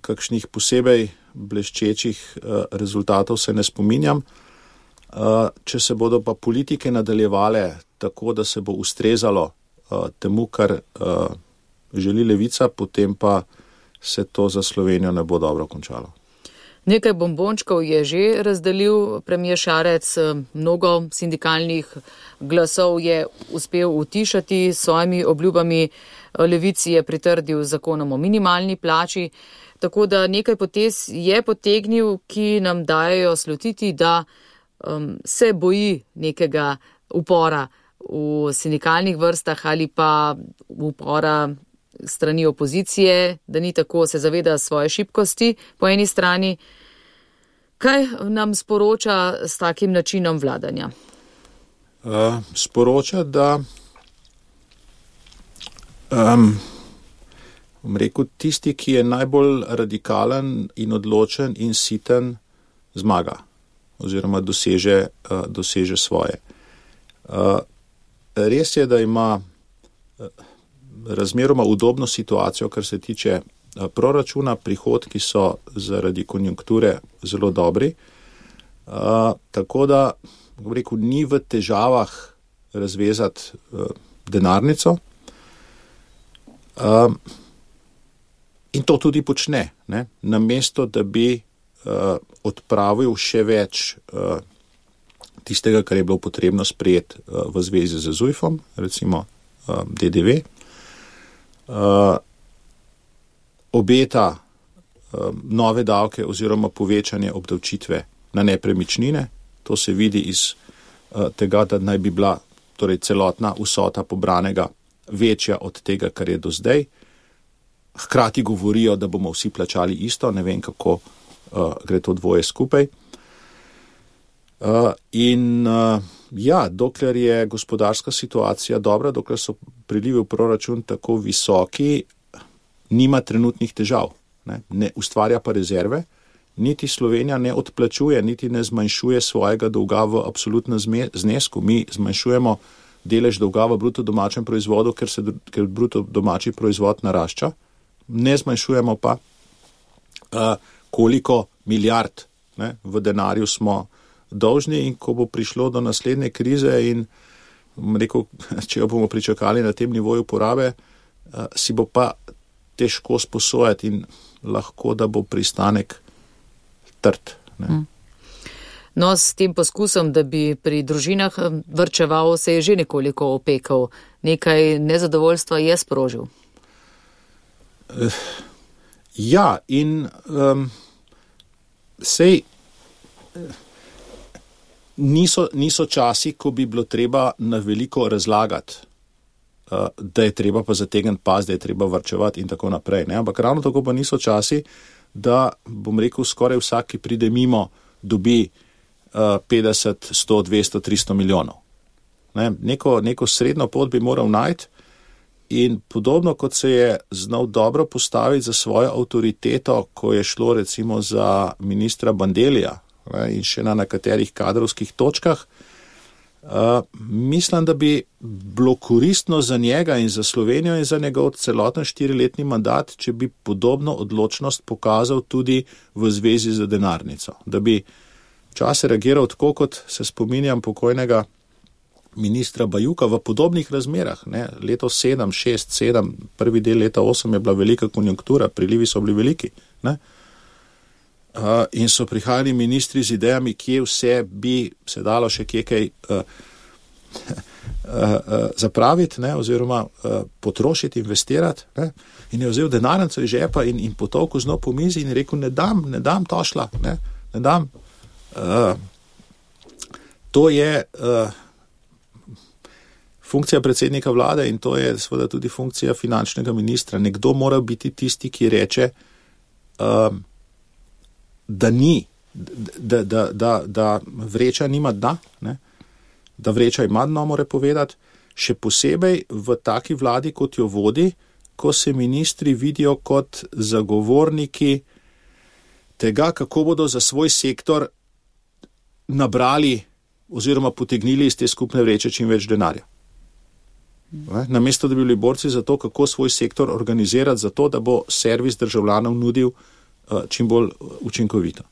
Kakšnih posebej bleščečih uh, rezultatov se ne spominjam. Uh, če se bodo pa politike nadaljevale tako, da se bo ustrezalo uh, temu, kar uh, želi levica, potem pa se to za Slovenijo ne bo dobro končalo. Nekaj bombončkov je že razdelil premijer Šarec, mnogo sindikalnih glasov je uspel utišati s svojimi obljubami, levici je pritrdil zakonom o minimalni plači, tako da nekaj potez je potegnil, ki nam dajejo slutiti, da um, se boji nekega upora v sindikalnih vrstah ali pa upora strani opozicije, da ni tako, se zaveda svoje šibkosti po eni strani. Kaj nam sporoča s takim načinom vladanja? Uh, sporoča, da um, bom rekel, tisti, ki je najbolj radikalen in odločen in siten, zmaga oziroma doseže, uh, doseže svoje. Uh, res je, da ima uh, razmeroma udobno situacijo, kar se tiče proračuna, prihodki so zaradi konjunkture zelo dobri, uh, tako da, bom rekel, ni v težavah razvezati uh, denarnico uh, in to tudi počne, ne? Namesto, da bi uh, odpravil še več uh, tistega, kar je bilo potrebno sprejeti uh, v zvezi z Zujfom, recimo uh, D D V. Uh, obeta uh, nove davke oziroma povečanje obdavčitve na nepremičnine. To se vidi iz uh, tega, da naj bi bila torej celotna vsota pobranega večja od tega, kar je do zdaj. Hkrati govorijo, da bomo vsi plačali isto, ne vem, kako uh, gre to dvoje skupaj. Uh, in uh, ja, dokler je gospodarska situacija dobra, dokler so prilivi v proračun tako visoki, nima trenutnih težav, ne, ne ustvarja pa rezerve, niti Slovenija ne odplačuje, niti ne zmanjšuje svojega dolga v absolutnem znesku. Mi zmanjšujemo delež dolga v bruto domačem proizvodu, ker se ker bruto domači proizvod narašča, ne zmanjšujemo pa, uh, koliko milijard, ne, v denarju smo dolžni, in ko bo prišlo do naslednje krize in rekel, če jo bomo pričakali na tem nivoju porabe, uh, si bo pa težko sposojati in lahko, da bo pristanek trd. Ne. No, s tem poskusom, da bi pri družinah vrčeval, se je že nekoliko opekal. Nekaj nezadovoljstva je sprožil. Uh, ja, in um, sej uh, Niso, niso časi, ko bi bilo treba na veliko razlagati, uh, da je treba pa zategniti pas, da je treba varčevati in tako naprej. Ne? Ampak ravno tako pa niso časi, da, bom rekel, skoraj vsak, ki pride mimo, dobi uh, petdeset, sto, dvesto, tristo milijonov. Ne? Neko, neko srednjo pot bi moral najti in podobno, kot se je znal dobro postaviti za svojo avtoriteto, ko je šlo recimo za ministra Bandellija, in še na nekaterih kadrovskih točkah, Uh, mislim, da bi bilo koristno za njega in za Slovenijo in za njegov celoten štiriletni mandat, če bi podobno odločnost pokazal tudi v zvezi z denarnico. Da bi včasih reagiral tako, kot se spominjam pokojnega ministra Bajuka v podobnih razmerah. Ne? Leto sedem, šest, sedem, prvi del leta osem je bila velika konjunktura, prilivi so bili veliki. Ne? Uh, in so prihajali ministri z idejami, kje vse bi se dalo še kje kaj uh, uh, uh, zapraviti, ne, oziroma uh, potrošiti, investirati. Ne. In je vzel denarnico iz žepa in, in potovku znov po mizi in je rekel, ne dam, ne dam tošla, ne, ne dam. Uh, to je uh, funkcija predsednika vlade in to je seveda tudi funkcija finančnega ministra. Nekdo mora biti tisti, ki reče, uh, da ni, da, da, da, da vreča nima dna, ne? Da vreča ima dno, mora povedati, še posebej v taki vladi, kot jo vodi, ko se ministri vidijo kot zagovorniki tega, kako bodo za svoj sektor nabrali oziroma potegnili iz te skupne vreče čim več denarja. Namesto, da bi bili borci za to, kako svoj sektor organizirati, za to, da bo servis državljanov nudil čim bolj učinkovito.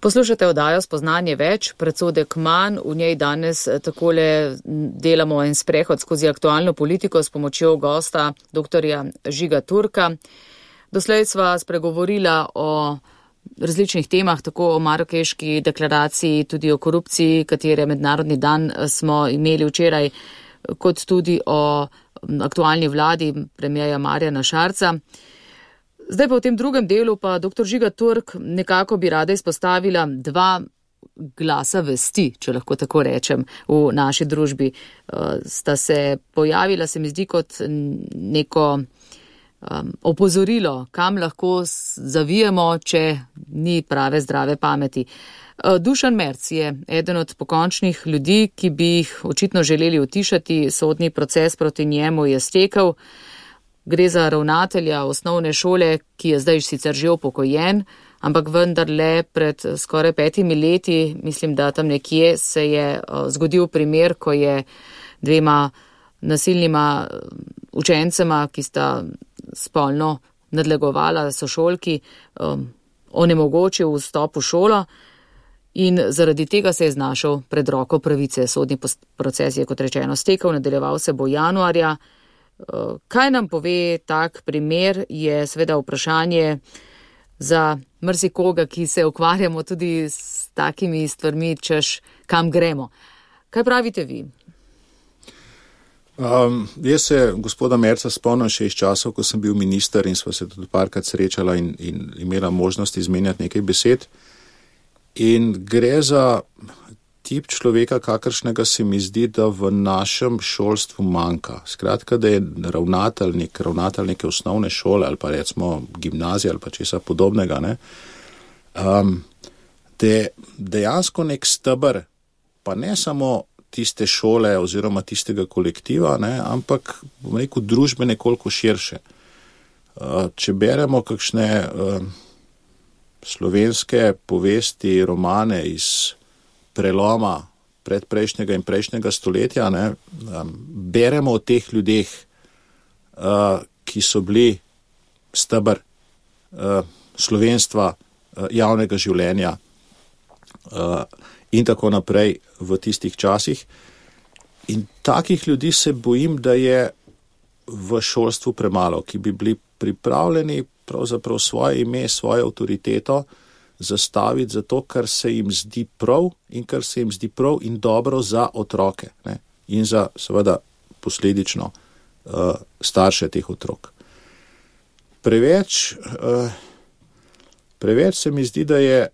Poslušate oddajo Spoznanje več, predsodek manj, v njej danes takole delamo en sprehod skozi aktualno politiko s pomočjo gosta doktorja Žiga Turka. Doslej sva spregovorila o različnih temah, tako o Marakeški deklaraciji, tudi o korupciji, katere mednarodni dan smo imeli včeraj, kot tudi o aktualni vladi premierja Marjana Šarca. Zdaj pa v tem drugem delu pa doktor Žiga Turk nekako bi rada izpostavila dva glasa vesti, če lahko tako rečem, v naši družbi. Sta se pojavila, se mi zdi, kot neko um, opozorilo, kam lahko zavijemo, če ni prave zdrave pameti. Dušan Merc je eden od pokončnih ljudi, ki bi jih očitno želeli utišati, sodni proces proti njemu je stekel. Gre za ravnatelja osnovne šole, ki je zdaj sicer že upokojen, ampak vendarle pred skoraj petimi leti, mislim, da tam nekje se je zgodil primer, ko je dvema nasilnima učencema, ki sta spolno nadlegovala sošolki, onemogočil vstop v šolo in zaradi tega se je znašel pred roko pravice. Sodni proces je, kot rečeno, stekel, nadaljeval se bo januarja. Kaj nam pove tak primer, je seveda vprašanje za marsikoga, ki se ukvarjamo tudi s takimi stvarmi, češ kam gremo. Kaj pravite vi? Um, jaz se gospoda Merca spomnim še iz časov, ko sem bil minister in sva se tudi parkrat srečala in, in imela možnost izmenjati nekaj besed. In gre za tip človeka, kakršnega se mi zdi, da v našem šolstvu manjka. Skratka, da je ravnatelj, nek, ravnatelj neke osnovne šole ali pa recimo gimnazija ali pa česa podobnega, ne, um, da je dejansko nek stebr, pa ne samo tiste šole oziroma tistega kolektiva, ne, ampak bom rekel družbe nekoliko širše. Uh, če beremo kakšne uh, slovenske povesti, romane iz preloma predprejšnjega in prejšnjega stoletja, ne, um, beremo o teh ljudeh, uh, ki so bili stebr uh, slovenstva, uh, javnega življenja uh, in tako naprej v tistih časih. In takih ljudi se bojim, da je v šolstvu premalo, ki bi bili pripravljeni pravzaprav svoje ime, svojo avtoriteto zastaviti za to, kar se jim zdi prav in kar se jim zdi prav in dobro za otroke, ne? In za seveda posledično uh, starše teh otrok. Preveč, uh, preveč se mi zdi, da je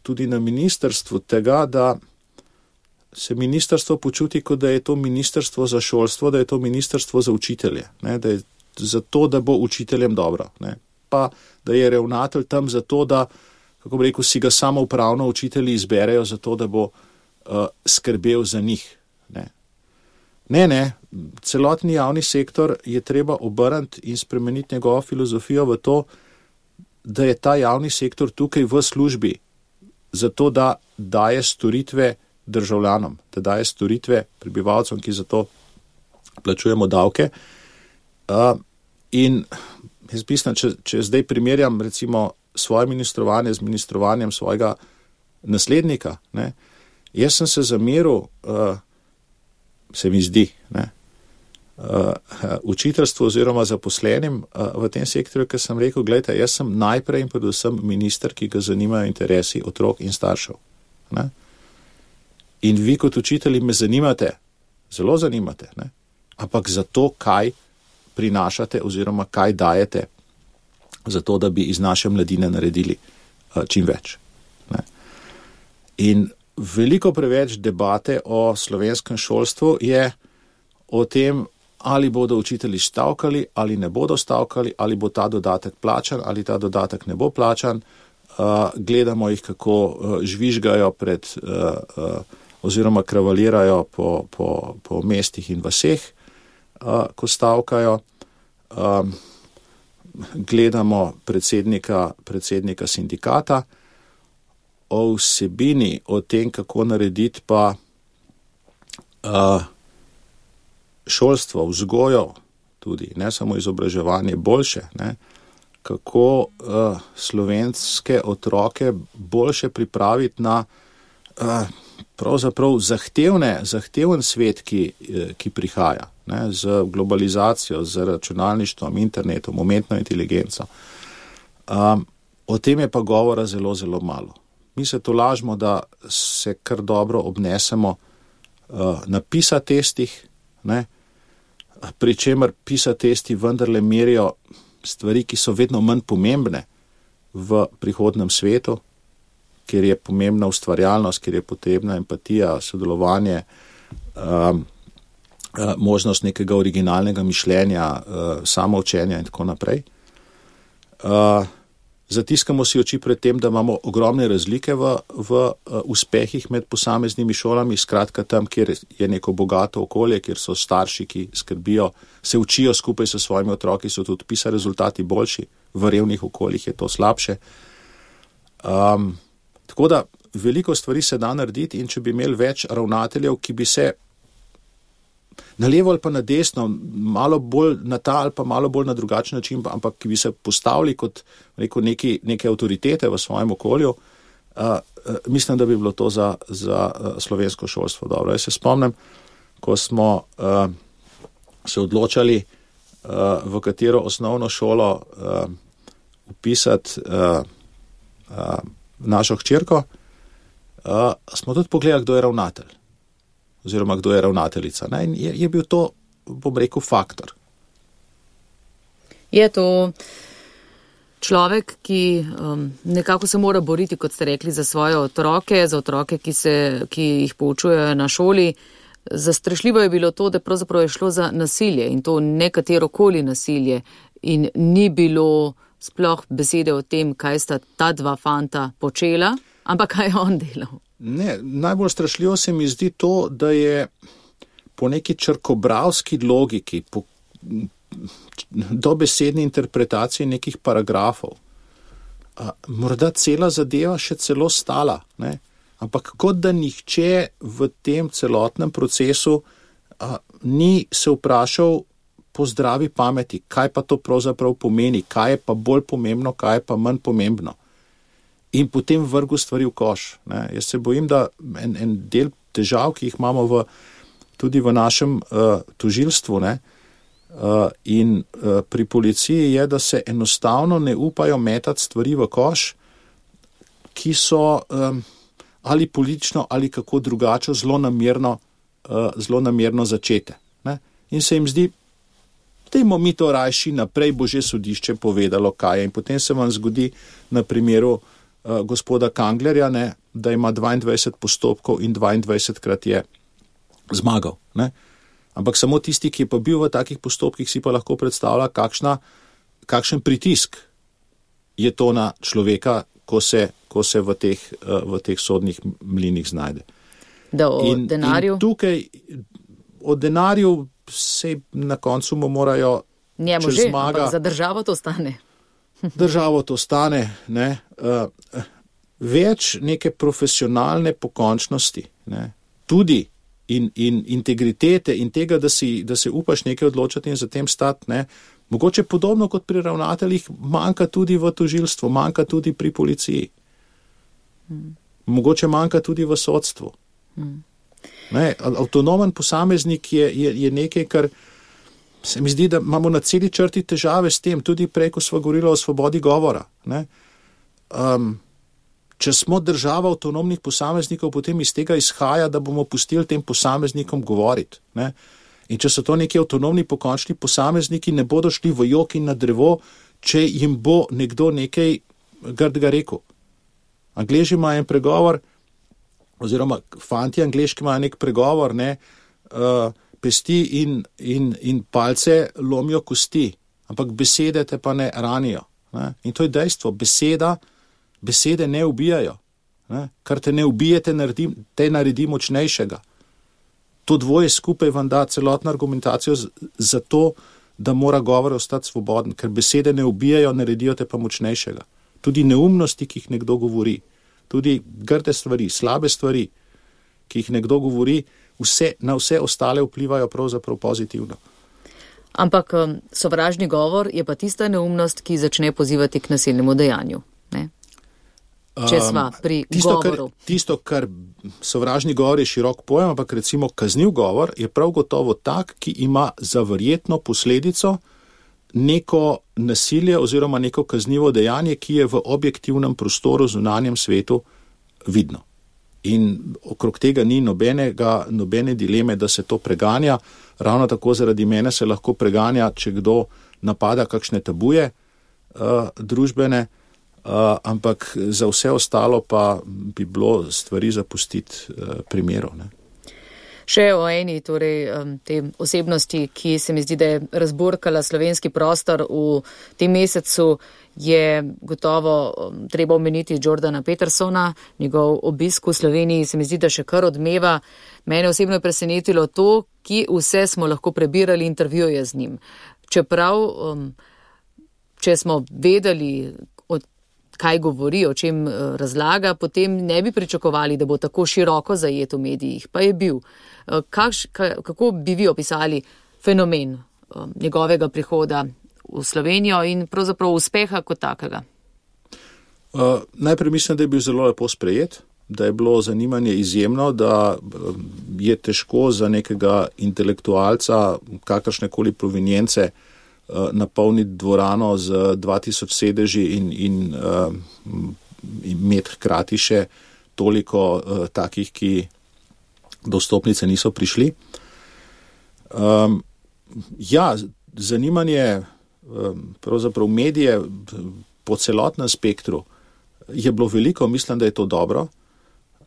tudi na ministrstvu tega, da se ministrstvo počuti, kot da je to ministrstvo za šolstvo, da je to ministrstvo za učitelje, ne? Da je zato, da bo učiteljem dobro, ne? Pa da je ravnatelj tam zato, da, kako bi rekel, si ga samo upravno učitelji izberejo zato, da bo uh, skrbel za njih. Ne? ne, ne, celotni javni sektor je treba obrniti in spremeniti njegovo filozofijo v to, da je ta javni sektor tukaj v službi, zato da daje storitve državljanom, da daje storitve prebivalcem, ki za to plačujemo davke. Uh, in jaz mislim, če, če zdaj primerjam recimo svoje ministrovanje z ministrovanjem svojega naslednika, ne, jaz sem se zameril, uh, se mi zdi, ne, uh, učiteljstvu oziroma zaposlenim uh, v tem sektorju, ker sem rekel, gledajte, jaz sem najprej in predvsem minister, ki ga zanimajo interesi otrok in staršev. Ne. In vi kot učitelji me zanimate, zelo zanimate, ne, ampak za to, kaj prinašate oziroma kaj dajete, za to, da bi iz naše mladine naredili uh, čim več. Ne. In veliko preveč debate o slovenskem šolstvu je o tem, ali bodo učitelji stavkali, ali ne bodo stavkali, ali bo ta dodatek plačan, ali ta dodatek ne bo plačan. Uh, gledamo jih, kako uh, žvižgajo pred, uh, uh, oziroma kravalirajo po, po, po mestih in vaseh, uh, ko stavkajo. Um, gledamo predsednika, predsednika sindikata. O vsebini, o tem, kako narediti pa uh, šolstvo, vzgojo, tudi, ne samo izobraževanje, boljše, ne, kako uh, slovenske otroke boljše pripraviti na uh, pravzaprav zahtevne, zahteven svet, ki, ki prihaja, ne, z globalizacijo, z računalništvom, internetom, umetno inteligenco. Um, o tem je pa govora zelo, zelo malo. Mi se tolažimo, da se kar dobro obnesemo uh, na PISA testih, ne, pri čemer PISA testi vendarle merijo stvari, ki so vedno manj pomembne v prihodnem svetu, kjer je pomembna ustvarjalnost, kjer je potrebna empatija, sodelovanje, um, uh, možnost nekega originalnega mišljenja, uh, samoučenja in tako naprej. Uh, Zatiskamo si oči pred tem, da imamo ogromne razlike v, v uh, uspehih med posameznimi šolami, skratka tam, kjer je neko bogato okolje, kjer so starši, ki skrbijo, se učijo skupaj s svojimi otroki, so tudi PISA rezultati boljši, v revnih okoljih je to slabše. Um, tako da veliko stvari se da narediti in če bi imeli več ravnateljev, ki bi se na levo ali pa na desno, malo bolj na ta ali pa malo bolj na drugačen način, ampak ki bi se postavili kot rekel, neki, neke avtoritete v svojem okolju, uh, uh, mislim, da bi bilo to za, za uh, slovensko šolstvo dobro. Jaz se spomnim, ko smo uh, se odločali, uh, v katero osnovno šolo uh, upisati uh, uh, našo hčerko, uh, smo tudi pogledali, kdo je ravnatelj. Oziroma, kdo je ravnateljica. Ne? In je, je bil to, bom rekel, faktor. Je to človek, ki um, nekako se mora boriti, kot ste rekli, za svoje otroke, za otroke, ki, se, ki jih poučujejo na šoli. Zastrašljivo je bilo to, da pravzaprav je šlo za nasilje in to nekaterokoli nasilje in ni bilo sploh besede o tem, kaj sta ta dva fanta počela, ampak kaj je on delal. Ne, najbolj strašljivo se mi zdi to, da je po neki črkobralski logiki, po dobesedni interpretaciji nekih paragrafov, a, morda cela zadeva še celo stala, ne? Ampak kot da nihče v tem celotnem procesu a, ni se vprašal po zdravi pameti, kaj pa to pravzaprav pomeni, kaj je pa bolj pomembno, kaj je pa manj pomembno. In potem vrgu stvari v koš. Ne. Jaz se bojim, da en, en del težav, ki jih imamo v, tudi v našem uh, tožilstvu, ne, uh, in uh, pri policiji je, da se enostavno ne upajo metati stvari v koš, ki so um, ali politično ali kako drugače zelo namerno, uh, zelo namerno začete. Ne. In se jim zdi, dajmo mi to rajši naprej, bo že sodišče povedalo, kaj je. In potem se vam zgodi na primeru Uh, gospoda Kanglerja, ne, da ima dvaindvajset postopkov in dvaindvajsetkrat je zmagal. Ne. Ampak samo tisti, ki je pa bil v takih postopkih, si pa lahko predstavlja, kakšna, kakšen pritisk je to na človeka, ko se, ko se v, teh, uh, v teh sodnih mlinih znajde. Da o in, denarju? In tukaj o denarju se na koncu mu morajo njemu že, ampak za državo to stane. Državo to stane, ne. Uh, več neke profesionalne pokončnosti, ne, tudi in, in integritete in tega, da, si, da se upaš nekaj odločati in za tem stati, ne, mogoče podobno kot pri ravnateljih, manjka tudi v tožilstvu, manjka tudi pri policiji. Hmm. Mogoče manjka tudi v sodstvu. Hmm. Ne, avtonomen posameznik je, je, je nekaj, kar se mi zdi, da imamo na celi črti težave s tem, tudi prej, ko smo govorili o svobodi govora. Ne. Um, če smo država avtonomnih posameznikov, potem iz tega izhaja, da bomo pustili tem posameznikom govoriti. Ne. In če so to neki avtonomni pokončni posamezniki, ne bodo šli v jok in na drevo, če jim bo nekdo nekaj grdega rekel. Angleži imajo en pregovor, oziroma fanti angleški imajo nek pregovor, ne, uh, pesti in, in, in palce lomijo kosti, ampak besede te pa ne ranijo. Ne. In to je dejstvo, beseda, besede ne ubijajo. Ne. Kar te ne ubije, te naredi, te naredi močnejšega. To dvoje skupaj vam da celotno argumentacijo za to, da mora govor ostati svoboden, ker besede ne ubijajo, naredijo te pa močnejšega. Tudi neumnosti, ki jih nekdo govori, tudi grde stvari, slabe stvari, ki jih nekdo govori, vse, na vse ostale vplivajo pravzaprav pozitivno. Ampak sovražni govor je pa tista neumnost, ki začne pozivati k nasilnemu dejanju. Ne? Če sva pri um, tisto, govoru. Kar, tisto, kar sovražni govor je širok pojem, ampak recimo kazniv govor je prav gotovo tak, ki ima za verjetno posledico neko nasilje oziroma neko kaznivo dejanje, ki je v objektivnem prostoru, zunanjem svetu vidno. In okrog tega ni nobenega, nobene dileme, da se to preganja. Ravno tako zaradi mene se lahko preganja, če kdo napada kakšne tabuje uh, družbene, uh, ampak za vse ostalo pa bi bilo stvari zapustiti uh, primerov. Ne. Še o eni, torej te osebnosti, ki se mi zdi, da je razburkala slovenski prostor v tem mesecu, je gotovo treba omeniti Jordana Petersona, njegov obisk v Sloveniji se mi zdi, da še kar odmeva. Mene osebno je presenetilo to, ki vse smo lahko prebirali intervjuje z njim. Čeprav, če smo vedeli, kaj govori, o čem razlaga, potem ne bi pričakovali, da bo tako široko zajet v medijih, pa je bil. Kakš, kako bi vi opisali fenomen njegovega prihoda v Slovenijo in pravzaprav uspeha kot takega? Uh, najprej mislim, da je bil zelo lepo sprejet, da je bilo zanimanje izjemno, da je težko za nekega intelektualca kakršnekoli provenience napolniti dvorano z dva tisoč sedeži in, in uh, imeti hkrati še toliko uh, takih, ki do stopnice niso prišli. Um, ja, zanimanje um, pravzaprav medije po celotnem spektru je bilo veliko, mislim, da je to dobro.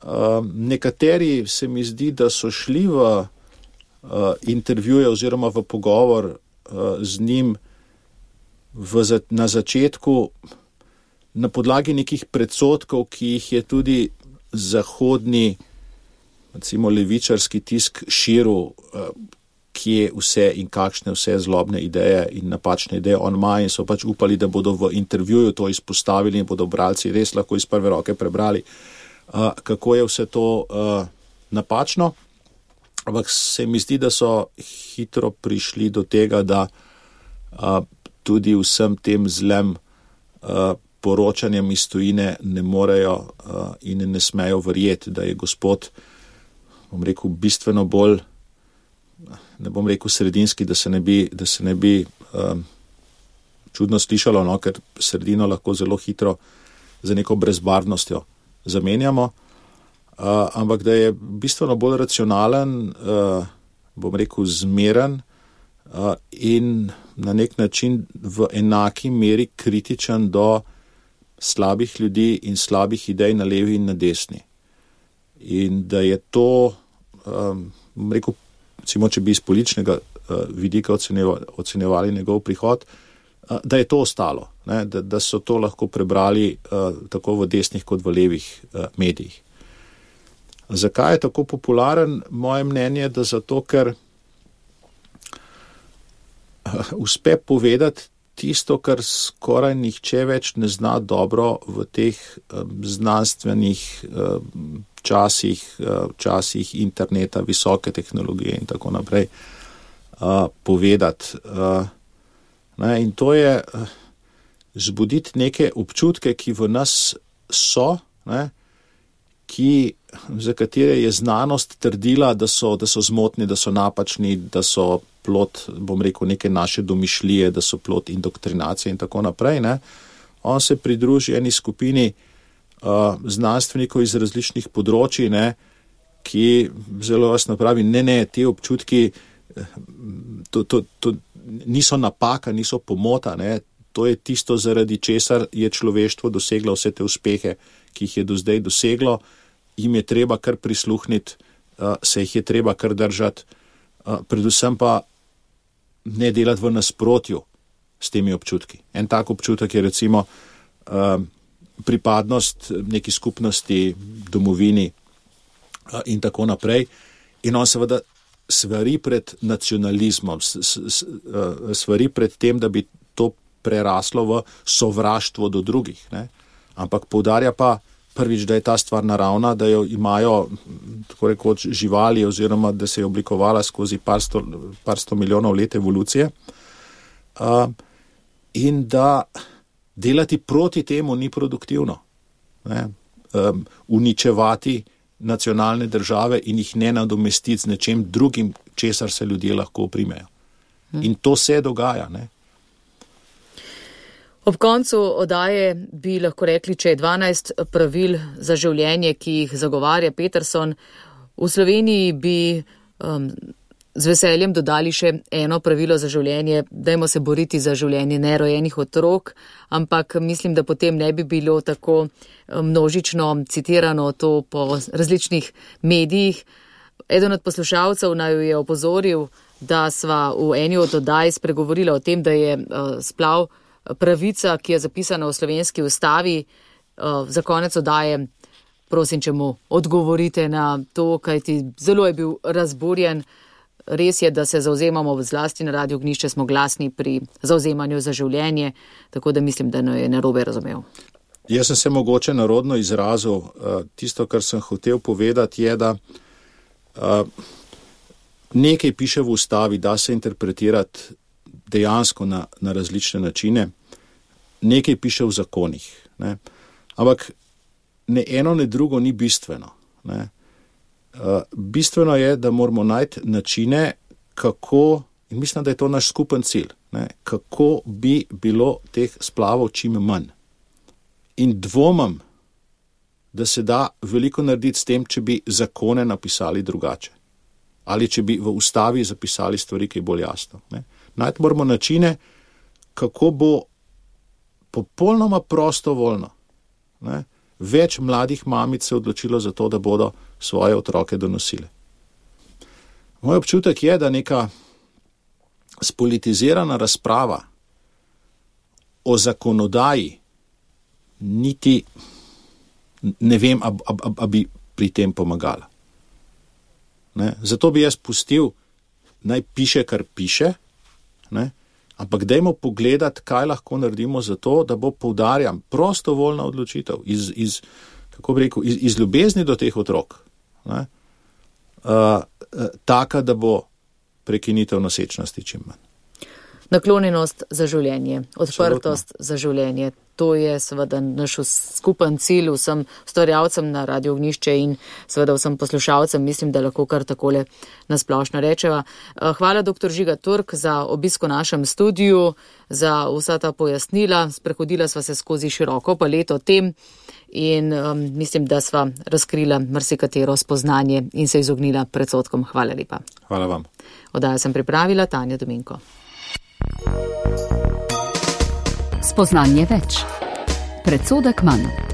Um, nekateri se mi zdi, da so šli v uh, intervjuje oziroma v pogovor z njim v, na začetku na podlagi nekih predsotkov, ki jih je tudi zahodni, recimo levičarski tisk širil, kje vse in kakšne vse zlobne ideje in napačne ideje on ima in so pač upali, da bodo v intervjuju to izpostavili in bodo bralci res lahko iz prve roke prebrali, kako je vse to napačno. Ampak se mi zdi, da so hitro prišli do tega, da a, tudi vsem tem zlem a, poročanjem iz tujine ne morejo a, in ne smejo verjeti, da je gospod, bom rekel, bistveno bolj, ne bom rekel sredinski, da se ne bi, da se ne bi a, čudno slišalo, no, ker sredino lahko zelo hitro za neko brezbarvnostjo zamenjamo. Uh, ampak da je bistveno bolj racionalen, uh, bom rekel zmeren uh, in na nek način v enaki meri kritičen do slabih ljudi in slabih idej na levi in na desni. In da je to, um, bom rekel, recimo, če bi iz političnega uh, vidika ocenjevali, ocenjevali njegov prihod, uh, da je to ostalo, ne? Da, da so to lahko prebrali uh, tako v desnih kot v levih uh, medijih. Zakaj je tako popularen? Moje mnenje je, da zato, ker uspe povedati tisto, kar skoraj nihče več ne zna dobro v teh um, znanstvenih um, časih, uh, časih interneta, visoke tehnologije in tako naprej uh, povedati. Uh, ne, in to je uh, zbuditi neke občutke, ki v nas so, ne, ki, za katere je znanost trdila, da so, da so zmotni, da so napačni, da so plod, bom rekel, neke naše domišljije, da so plod indoktrinacije in tako naprej. Ne. On se pridruži eni skupini uh, znanstvenikov iz različnih področji, ne, ki zelo jasno pravi, ne, ne, te občutki to, to, to niso napaka, niso pomota, ne. To je tisto, zaradi česar je človeštvo doseglo vse te uspehe, ki jih je do zdaj doseglo, jim je treba kar prisluhniti, se jih je treba kar držati, predvsem pa ne delati v nasprotju s temi občutki. En tak občutek je recimo pripadnost neki skupnosti, domovini in tako naprej. In on seveda svari pred nacionalizmom, svari pred tem, da bi to preraslo v sovraštvo do drugih. Ne? Ampak poudarja pa prvič, da je ta stvar naravna, da jo imajo tako rekoč živali oziroma da se je oblikovala skozi par sto, par sto milijonov let evolucije uh, in da delati proti temu ni produktivno. Ne? Um, uničevati nacionalne države in jih ne nadomestiti z nečem drugim, česar se ljudje lahko oprimejo. Hmm. In to se dogaja, ne? Ob koncu oddaje bi lahko rekli, če je dvanajst pravil za življenje, ki jih zagovarja Peterson. V Sloveniji bi um, z veseljem dodali še eno pravilo za življenje, dajmo se boriti za življenje nerojenih otrok, ampak mislim, da potem ne bi bilo tako množično citirano to po različnih medijih. Eden od poslušalcev naj je opozoril, da sva v eni od oddaj spregovorila o tem, da je uh, splav pravica, ki je zapisana v slovenski ustavi. Za konec oddaje, prosim, če mu odgovorite na to, kajti zelo je bil razburjen. Res je, da se zauzemamo zlasti na Radiu Ognjišče, smo glasni pri zauzemanju za življenje, tako da mislim, da je narobe razumel. Jaz sem se mogoče narodno izrazil. Tisto, kar sem hotel povedati, je, da nekaj piše v ustavi, da se interpretirati dejansko na, na različne načine, nekaj piše v zakonih. Ne. Ampak ne eno, ne drugo ni bistveno. Ne. Uh, bistveno je, da moramo najti načine, kako, in mislim, da je to naš skupen cilj, ne, kako bi bilo teh splavov čim manj. In dvomam, da se da veliko narediti s tem, če bi zakone napisali drugače. Ali če bi v ustavi zapisali stvari, ki je bolj jasno. Ne. Najti moramo načine, kako bo popolnoma prostovoljno, ne, več mladih mamic se odločilo za to, da bodo svoje otroke donosile. Moj občutek je, da neka spolitizirana razprava o zakonodaji niti ne vem, a, a, a, a bi pri tem pomagala. Ne, zato bi jaz pustil, naj piše, kar piše, ne, ampak dajmo pogledati, kaj lahko naredimo za to, da bo, poudarjam, prostovoljna odločitev iz, iz, kako bi rekel, iz, iz ljubezni do teh otrok, ne, uh, taka, da bo prekinitev nosečnosti čim manj. Naklonjenost za življenje, odprtost Absolutno. Za življenje. To je seveda naš skupen cilj vsem ustvarjalcem na Radiu Ognjišče in seveda vsem poslušalcem. Mislim, da lahko kar takole nasplošno rečeva. Hvala doktor Žiga Turk za obisk v našem studiu, za vsa ta pojasnila. Sprehodila sva se skozi široko paleto tem in um, mislim, da sva razkrila marsikatero spoznanje in se izognila predsodkom. Hvala lepa. Hvala vam. Oddajo sem pripravila Tanja Dominko. Spoznanje več. Predsodek manj.